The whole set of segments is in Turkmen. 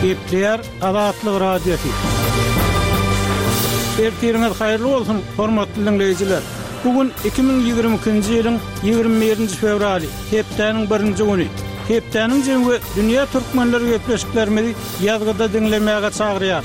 Gepleýär Azatlyk Radiosy. Ertiriňiz haýyrly bolsun, hormatly diňleýjiler! Bu gün 2022-nji ýylyň 21-nji fewraly, hepdäniň birinji güni. Hepdäniň jemi we dünýä türkmenleri gepleşiklerimizi ýazgyda diňlemäge çagyrýar.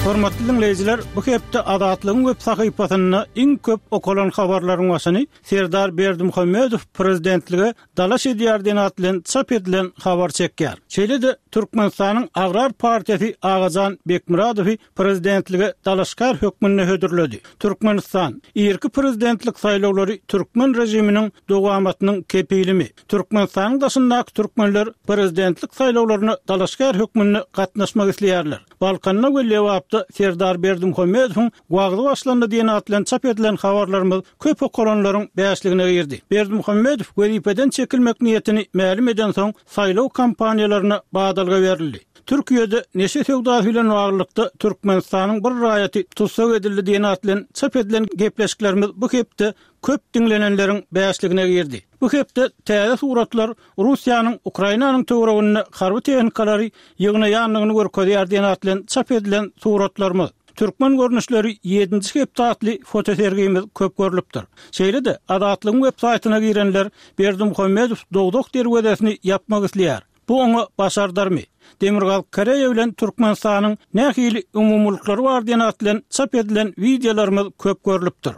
Hormatly diňleýjiler, bu hepde Azatlygyň web sahypasynda iň köp okalan habarlaryň başyny Serdar Berdimuhamedow prezidentlige dalaş edýär diýen at bilen çap edilen habar çekýär. Şeýle-de Türkmenistanyň Agrar partiýasy Agajan Bekmyradowy prezidentlige dalaşgär hökmünde hödürledi. Türkmenistan, Irki prezidentlik saýlawlary türkmen režiminiň dowamatynyň kepilimi? Türkmenistanyň daşyndaky türkmenler prezidentlik saýlawlaryna dalaşgär hökmünde gatnaşmak isleýärler. Balkanda we Lebapda Serdar Berdimuhamedowyň wagzy başlandy diýen at bilen çap edilen habarlarymyz köp okalanlaryň bäşligine girdi. Berdimuhamedow wezipeden çekilmek niýetini mälim edensoň, saýlaw kampaniýalaryna badalga berildi. Türkiýede neşe söwdasy bilen baglylykda Türkmenistanyň bir raýaty tussag edildi diýen at bilen çap edilen gepleşiklerimiz bu hepde köp diňlenenleriň bäşligine girdi. Bu hepde täze suratlar Russiýanyň Ukrainanyň töwereginde harby tehnikalary ýygnaýandygyny görkezýär diýen at bilen çap edilen suratlarymyz, Türkmen görnüşleri ýedinji hepde atly fotosergimiz köp görlüpdir. Şeýle-de, Azatlygyň web saýtyna girenler Berdimuhamedow dowzah derwezesini ýapmak isleýär. Bu oňa başardarmy? Demirgazyk Koreýa bilen Türkmenistanyň nähili umumylyklary bar diýen at bilen çap edilen wideolarymyz köp görlüpdir.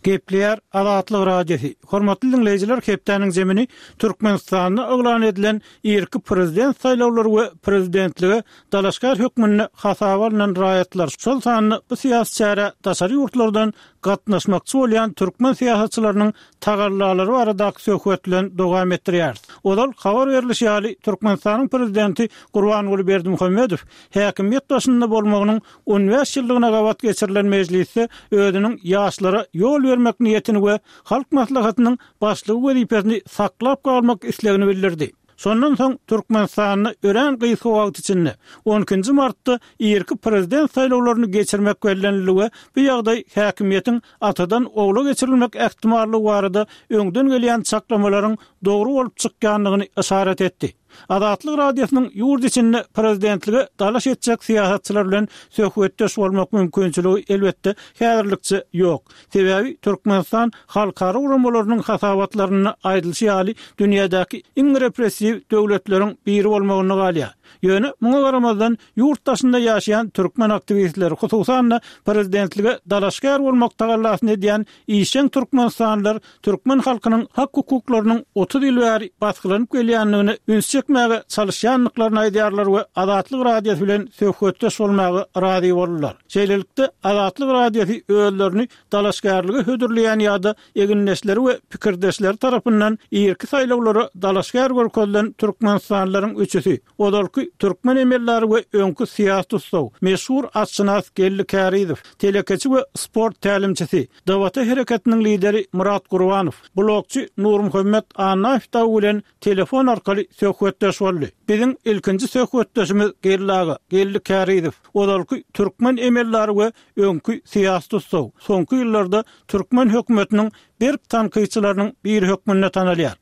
Gepleýär Azatlyk Radiosy. Hormatly diňleýjiler hepdäniň zemini Türkmenistanda yglan edilen irki prezident saýlawlary we prezidentlige dalaşgär hökmünde hasaba alnan raýatlar, şol sanda bu syýasy çärä daşary ýurtlardan gatnaşmakçy bolýan türkmen syýasatçylarynyň tagallalary baradaky söhbet bilen dowam etdirýäris. Ozal habar berlişi ýaly, Türkmenistanyň Prezidenti Gurbanguly Berdimuhamedow häkimiýet başynda bolmagynyň 15 ýyllygyna gabat geçirilen mejlisde özüniň ýaşlara ýol bermek niýetini we Halk Maslahatynyň Başlygy wezipesini saklap galmak islegini bildirdi. Şondan soň Türkmenistanda örän gysga wagt içinde, on ikinji martda irki prezident saýlawlaryny geçirmek bellenildi we bu ýagdaý häkimiýetiň atadan ogla geçirilmek ähtimallygy barada öňden gelýän çaklamalaryň dogry bolup çykýandygyny yşarat etdi. Azatlyk Radiosynyň ýurt içinde prezidentlige dalaş etjek syýasatçylar bilen söhbetdeş bolmak mümkinçiligi, elbetde, häzirlikçe ýok. Sebäbi Türkmenistan halkara guramalarynyň hasabatlarynda aýdylyşy ýaly dünýädäki iň repressiw döwletleriň biri bolmagynda galýar. Ýöne muňa garamazdan ýurt daşynda ýaşaýan türkmen aktiwistleri, hususan-da prezidentlige dalaşgär bolmak tagallasyny edýän işjeň türkmenistanlylar türkmen halkynyň hak-hukuklarynyň 30 ýyl bäri basgylanyp gelýändigine üns çekmäge çalyşýandyklaryny aýdýarlar we Azatlyk Radiosy bilen söhbetdeş bolmaga razy boldular. Şeýlelikde, Azatlyk Radiosy özlerini dalaşgärlige hödürleýän ýa-da egindeşleri we pikirdeşleri tarapyndan irki saýlawlara dalaşgär görkezilen türkmenistanlylaryň üçüsi, ozalky türkmen emeldary we öňki syýasy tussag, meşhur atşynas Geldi Kärizow, telekeçi we sport tälimçisi, DWT hereketiniň lideri Myrat Gurbanow, blogçy Nurmuhammet Annaýew dagy bilen telefon arkaly söhbetdeş boldy. Biziň ilkinji söhbetdeşimiz Geldi aga, Geldi Kärizow, ozalky türkmen emeldary we öňki syýasy tussag, soňky ýyllarda türkmen hökümetiniň berk tankytçylarynyň biri hökmünde tanalýar.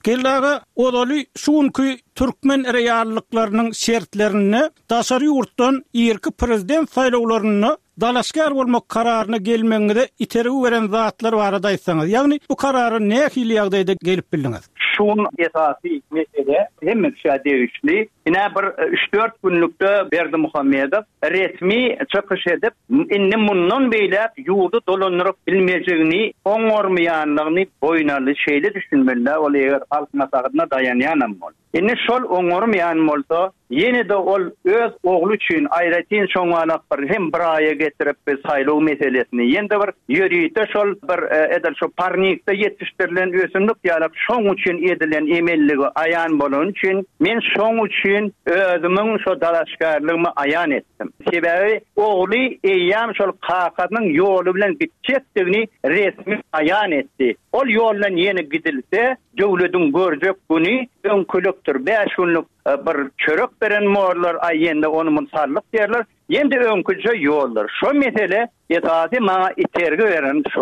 Geldi aga, ozaly şu günki türkmen reallyklarynyň şertlerinde daşary ýurtdan irki prezident saýlawlarynda dalaşgär bolmak kararyna gelmegiňize itergi beren zatlar barada aýtsaňyz, ýagny bu karara nähili ýagdaýda gelip bildiňiz? Şu gün esasy mesele hemme kişä degişli. Ine bir üç-dört günlükde Berdimuhamedow resmi çykyş edip, indi mundan beýläk ýurdy dolandyryp bilmejegini, oňarmaýanlygyny boýun aldy. Şeýle düşünmeli-dä ol eger Halk Maslahatyna daýanýanam bolsa. Indi şol oňarmaýan bolsa, ýene-de ol öz ogly üçin aýratyn şoňalak bir hem bir aýa getirip bir saýlaw meselesini, ýene-de bir ýörite şol bir edil şo parnikde ýetişdirilen ösümlik ýalak şoň üçin edilen emelligi aýan bolany üçin men şoň üçin özümiň şo dalaşgärligimi aýan etdim. Sebäbi ogly eýýäm şol kakasynyň ýoly bilen gitjekdigini resmi aýan etdi. Ol ýoldan ýene gidilse, Döwlediň görjek güni öňkülikdir. Bäş günlük bir çörek beren borlar, aý ýende ony muny sallyk diýerler. Ýende öňküje ýoldur. Şo mesele esasy maňa itergi beren şo.